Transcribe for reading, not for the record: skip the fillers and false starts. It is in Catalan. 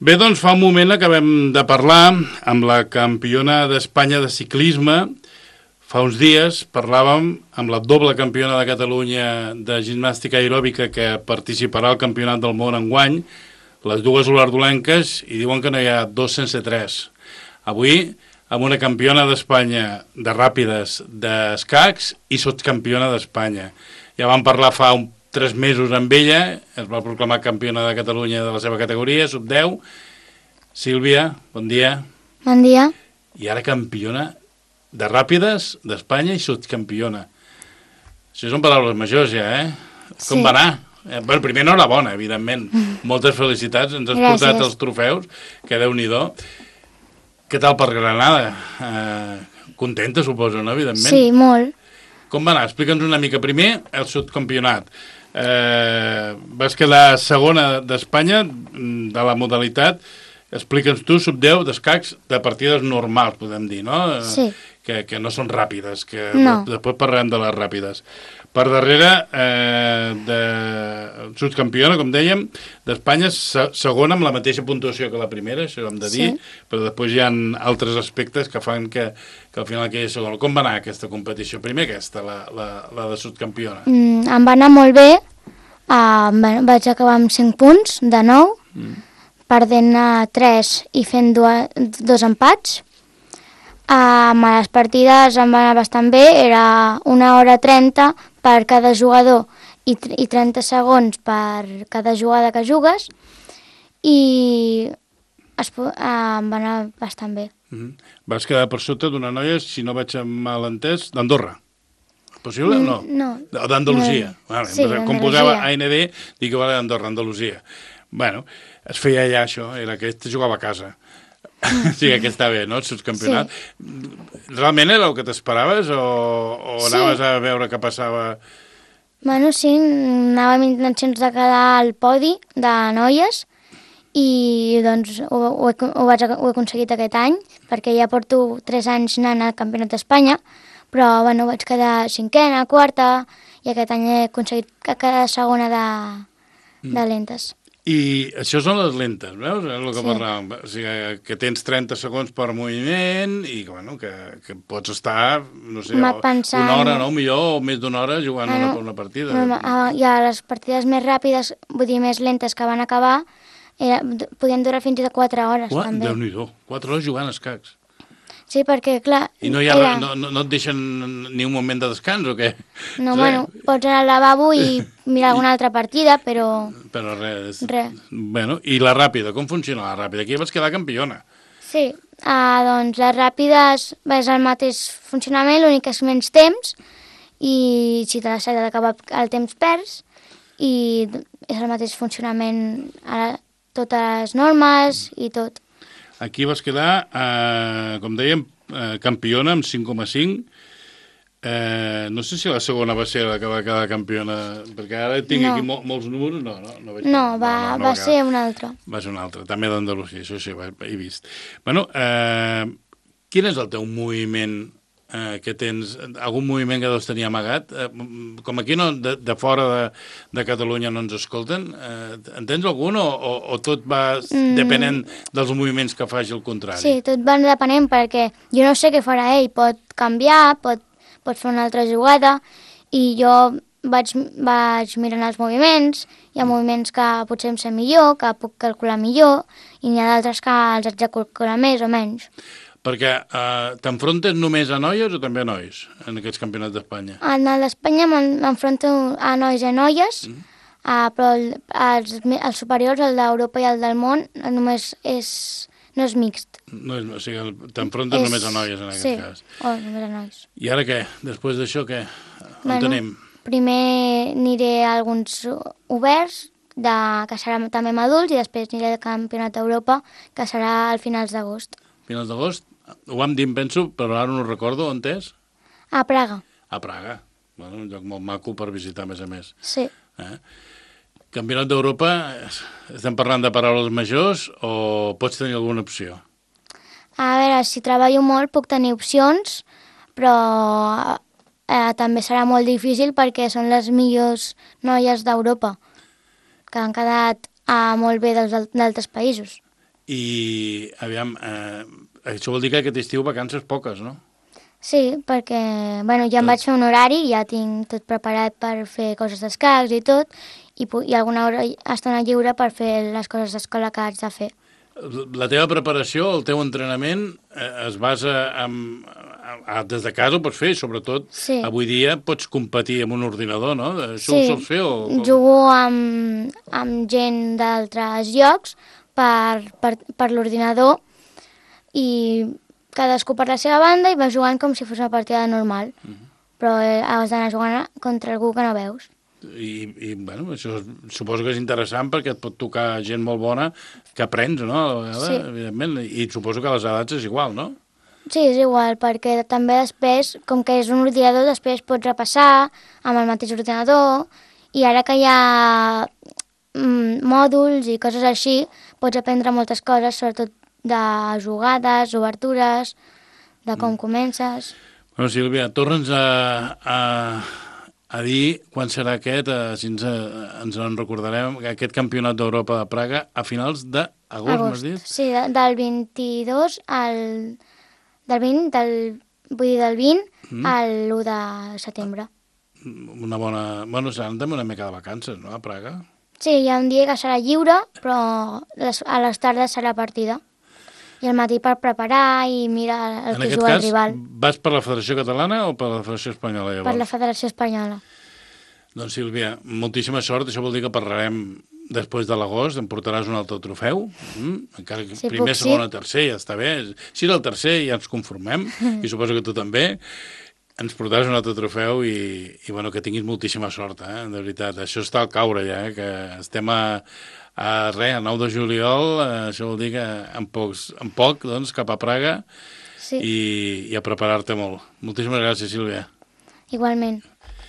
Bé, doncs fa un moment acabem de parlar amb la campiona d'Espanya de ciclisme. Fa uns dies parlàvem amb la doble campiona de Catalunya de gimnàstica aeròbica que participarà al Campionat del Món enguany, les dues olardolenques, i diuen que no hi ha dos sense tres. Avui, amb una campiona d'Espanya de ràpides d'escacs i sotscampiona d'Espanya. Ja vam parlar fa 3 mesos amb ella, es va proclamar campiona de Catalunya de la seva categoria, sub-10. Sílvia, bon dia. Bon dia. I ara campiona de ràpides d'Espanya i sotscampiona. Això són paraules majors ja, Com va anar? Bueno, primer enhorabona, evidentment. Moltes felicitats, ens has portat els trofeus, que Déu-n'hi-do. Què tal per Granada? Contenta, suposo, no? Evidentment. Sí, molt. Com va anar? Explica'ns una mica. Primer, el subcampionat. Vas quedar segona d'Espanya de la modalitat. Explica'ns tu, sub-10 d'escacs de partides normals, podem dir, no? Sí. Que no són ràpides, que No. després parlarem de les ràpides. Per darrere, de subcampiona, com dèiem, d'Espanya, segona amb la mateixa puntuació que la primera, això hem de dir, però després hi ha altres aspectes que fan que al final quedi segona. Com va anar aquesta competició? Primer aquesta, la de subcampiona. Em va anar molt bé. Vaig acabar amb 5 punts de 9, perdent 3 i fent 2 empats. Amb les partides em va anar bastant bé, era 1 hora 30 per cada jugador i 30 segons per cada jugada que jugues, i em va anar bastant bé. Vas quedar per sota d'una noia, si no vaig malentès, d'Andorra. Possible o no? No. D'Andalusia. Sí, com posava AND, dic que va d'Andorra, Andalusia. Bueno, es feia allà això, era que jugava a casa. Sí, que està bé, no?, el subcampionat. Sí. Realment era el que t'esperaves o anaves a veure què passava? Bueno, sí, anava amb intencions de quedar al podi de noies i doncs ho he aconseguit aquest any, perquè ja porto 3 anys anant al Campionat d'Espanya, però bueno, vaig quedar 5a, 4a, i aquest any he aconseguit quedar segona de lentes. I això són les lentes, veus? És el que parlàvem. O sigui, que tens 30 segons per moviment i bueno, que pots estar, no sé, una hora, no? Millor, o més d'una hora jugant una partida. I a les partides més ràpides, vull dir, més lentes que van acabar, podien durar fins a 4 hores, també. Déu-n'hi-do, 4 hores jugant a escacs. Sí, perquè, clar... I no et deixen ni un moment de descans, o què? No, bueno, pots anar al lavabo i mirar alguna altra partida, però... Però res. Bueno, i la ràpida, com funciona la ràpida? Aquí vas quedar campiona. Sí, doncs les ràpides és el mateix funcionament, l'únic que és menys temps, i si te l'has d'acabar el temps perds, i és el mateix funcionament, totes les normes i tot. Aquí vas quedar, com dèiem, campiona amb 5,5. No sé si la segona va ser la que va quedar campiona, perquè ara tinc aquí molts números. No, va ser una altra. Va ser una altra, també d'Andalusia, això sí, he vist. Bueno, quin és el teu moviment que tens? Algun moviment que deus tenir amagat? Com aquí de fora de Catalunya no ens escolten, en tens algun o tot va depenent dels moviments que faci el contrari? Sí, tot va depenent, perquè jo no sé què farà ell, pot canviar, pot fer una altra jugada, i jo vaig mirant els moviments. Hi ha moviments que potser em sé millor, que puc calcular millor, i n'hi ha d'altres que els haig de calcular més o menys. Perquè t'enfrontes només a noies o també a nois en aquests campionats d'Espanya? En el d'Espanya m'enfronto a nois i a noies, però els superiors, el d'Europa i el del món, només no és mixt. O sigui, t'enfrontes només a noies en aquest cas. Sí, o només a nois. I ara què? Després d'això què? On tenim? Primer aniré a alguns oberts, que serà també amb adults, i després aniré al Campionat d'Europa, que serà a finals d'agost. Finals d'agost? Ho vam dir, penso, però ara no ho recordo. On és? A Praga. A Praga. Bueno, un lloc molt maco per visitar, a més. Sí. Campionat d'Europa, estem parlant de paraules majors o pots tenir alguna opció? A veure, si treballo molt puc tenir opcions, però també serà molt difícil perquè són les millors noies d'Europa, que han quedat molt bé d'altres països. I, aviam, això vol dir que aquest estiu vacances poques, no? Sí, perquè ja em vaig fer un horari, ja tinc tot preparat per fer coses d'escacs i tot, i alguna hora estona lliure per fer les coses d'escola que haig de fer. La teva preparació, el teu entrenament es basa des de casa ho pots fer, sobretot avui dia pots competir amb un ordinador, no? Això ho sols fer? Jugo amb gent d'altres llocs per l'ordinador i cadascú per la seva banda i va jugant com si fos una partida normal. Però has d'anar jugant contra algú que no veus. I això suposo que és interessant perquè et pot tocar gent molt bona que aprens, no? Sí. Evidentment. I suposo que a les edats és igual, no? Sí, és igual, perquè també després, com que és un ordinador, després pots repassar amb el mateix ordinador i ara que hi ha mòduls i coses així, pots aprendre moltes coses, sobretot de jugades, obertures, de com comences. Bueno, Sílvia, torna'ns a dir quan serà aquest, si ens en recordarem, aquest campionat d'Europa de Praga a finals d'agost, m'has dit? Sí, del 22 del 20 al 1 de setembre. Una bona... Bueno, seran també una mica de vacances, no, a Praga? Sí, hi ha un dia que serà lliure, però a les tardes serà partida. I al matí per preparar i mirar el que juga el rival. En aquest cas, vas per la Federació Catalana o per la Federació Espanyola? Llavors? Per la Federació Espanyola. Doncs, Sílvia, moltíssima sort. Això vol dir que parlarem després de l'agost. Em portaràs un altre trofeu. Encara que primer, segon o tercer, ja està bé. Si és el tercer, ja ens conformem. I suposo que tu també. Ens portaràs un altre trofeu i bueno, que tinguis moltíssima sort, de veritat. Això està al caure ja, que estem a 9 de juliol, això vol dir que en poc, doncs, cap a Praga i a preparar-te molt. Moltíssimes gràcies, Sílvia. Igualment.